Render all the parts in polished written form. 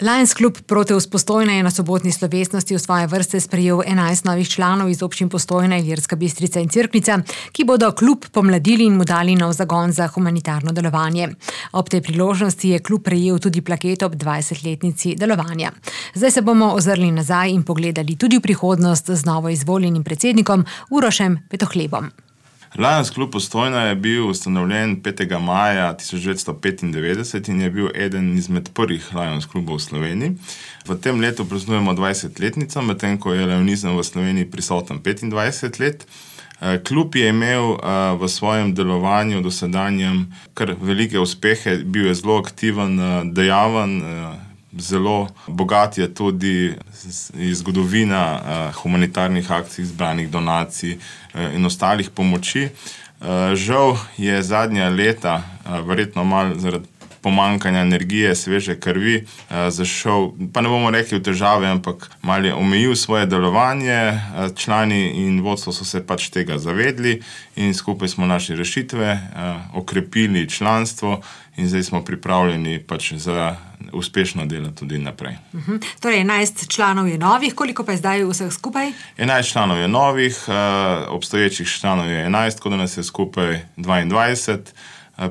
Lions Klub Proteus Postojna je na sobotni slovesnosti v svoje vrste sprejel 11 novih članov iz občin Postojna, Ilirska Bistrica in Cerknica, ki bodo klub pomladili in mu dali nov zagon za humanitarno delovanje. Ob tej priložnosti je klub prejel tudi plaketo ob 20-letnici delovanja. Zdaj se bomo ozrli nazaj in pogledali tudi v prihodnost z novo izvoljenim predsednikom Urošem Petohlebom. Lions Klub Postojna je bil ustanovljen 5. maja 1995 in je bil eden izmed prvih Lions klubov v Sloveniji. V tem letu praznujemo 20-letnico, medtem ko je lionizem v Sloveniji prisoten 25 let. Klub je imel v svojem delovanju dosedanjem kar velike uspehe, bil je zelo aktiven, dejaven, zelo bogat je tudi zgodovina humanitarnih akcij, zbranih donacij in ostalih pomoči. Žal je zadnja leta, verjetno malo zaradi pomanjkanja energije, sveže krvi, zašel, pa ne bomo rekli v težave, ampak malo je omejil svoje delovanje. Člani in vodstvo so se pač tega zavedli in skupaj smo našli rešitve, okrepili članstvo in zdaj smo pripravljeni pač za uspešno delo tudi naprej. Torej 11 članov je novih, koliko pa je zdaj vseh skupaj? 11 članov je novih, obstoječih članov je 11, tako da nas je skupaj 22.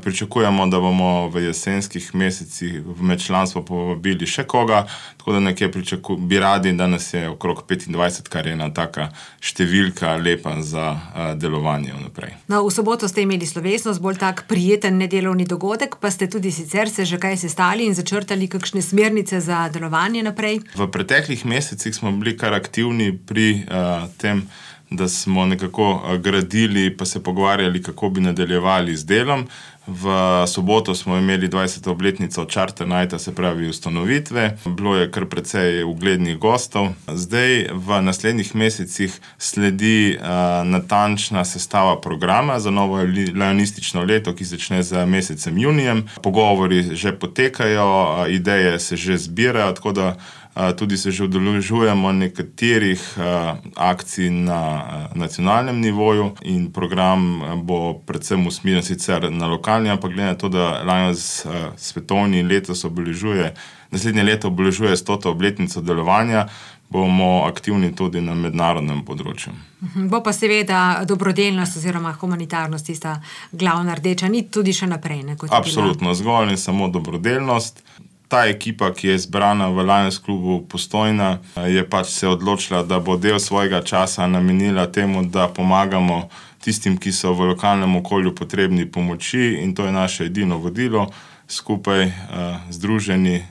Pričakujemo, da bomo v jesenskih mesecih med članstvo povabili še koga, tako da nekje bi radi, da nas je okrog 25, kar je ena taka številka lepa za delovanje vnaprej. No, v soboto ste imeli slovesnost, bolj tak prijeten nedelovni dogodek, pa ste tudi sicer se že kaj sestali in začrtali kakšne smernice za delovanje naprej? V preteklih mesecih smo bili kar aktivni pri tem, da smo nekako gradili pa se pogovarjali, kako bi nadaljevali z delom. V soboto smo imeli 20. obletnico Charter Nighta, se pravi ustanovitve. Bilo je kar precej uglednih gostov. Zdaj v naslednjih mesecih sledi natančna sestava programa za novo lionistično leto, ki začne z mesecem junijem. Pogovori že potekajo, ideje se že zbirajo, tako da tudi se že udeležujemo nekaterih akcij na nacionalnem nivoju in program bo predvsem usmerjen sicer na lokalni, ampak glede na to, da Lions svetovni letos naslednje leto obeležuje 100. obletnico delovanja, bomo aktivni tudi na mednarodnem področju. Bo pa seveda dobrodelnost oziroma humanitarnost tista glavna rdeča nit tudi še naprej. Absolutno, zgolj in samo dobrodelnost. Ta ekipa, ki je zbrana v Lions klubu Postojna, je pač se odločila, da bo del svojega časa namenila temu, da pomagamo tistim, ki so v lokalnem okolju potrebni pomoči, in to je naše edino vodilo. Skupaj združeni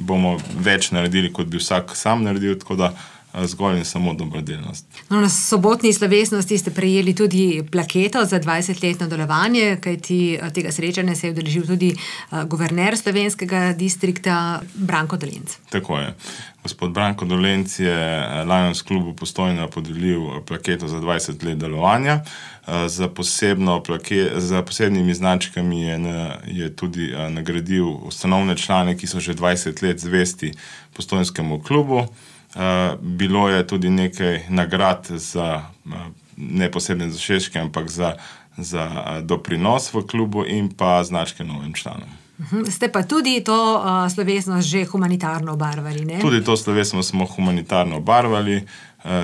bomo več naredili, kot bi vsak sam naredil, tako da zgolj in samo dobrodelnost. No, na sobotni slovesnosti ste prejeli tudi plaketo za 20-letno delovanje, kajti tega srečanja se je udeležil tudi guverner slovenskega distrikta Branko Dolenc. Tako je. Gospod Branko Dolenc je Lions klubu Postojna podelil plaketo za 20 let delovanja. Za posebnimi značkami je tudi nagradil ustanovne člane, ki so že 20 let zvesti Postojnskemu klubu. Bilo je tudi nekaj nagrad za ne posebne dosežke, ampak za doprinos v klubu in pa značke novim članom. Ste pa tudi to slovesnost že humanitarno obarvali, ne? Tudi to slovesnost smo humanitarno obarvali.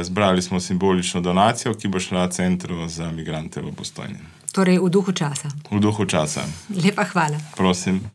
Zbrali smo simbolično donacijo, ki bo šla Centru za migrante v Postojni. Torej v duhu časa. V duhu časa. Lepa hvala. Prosim.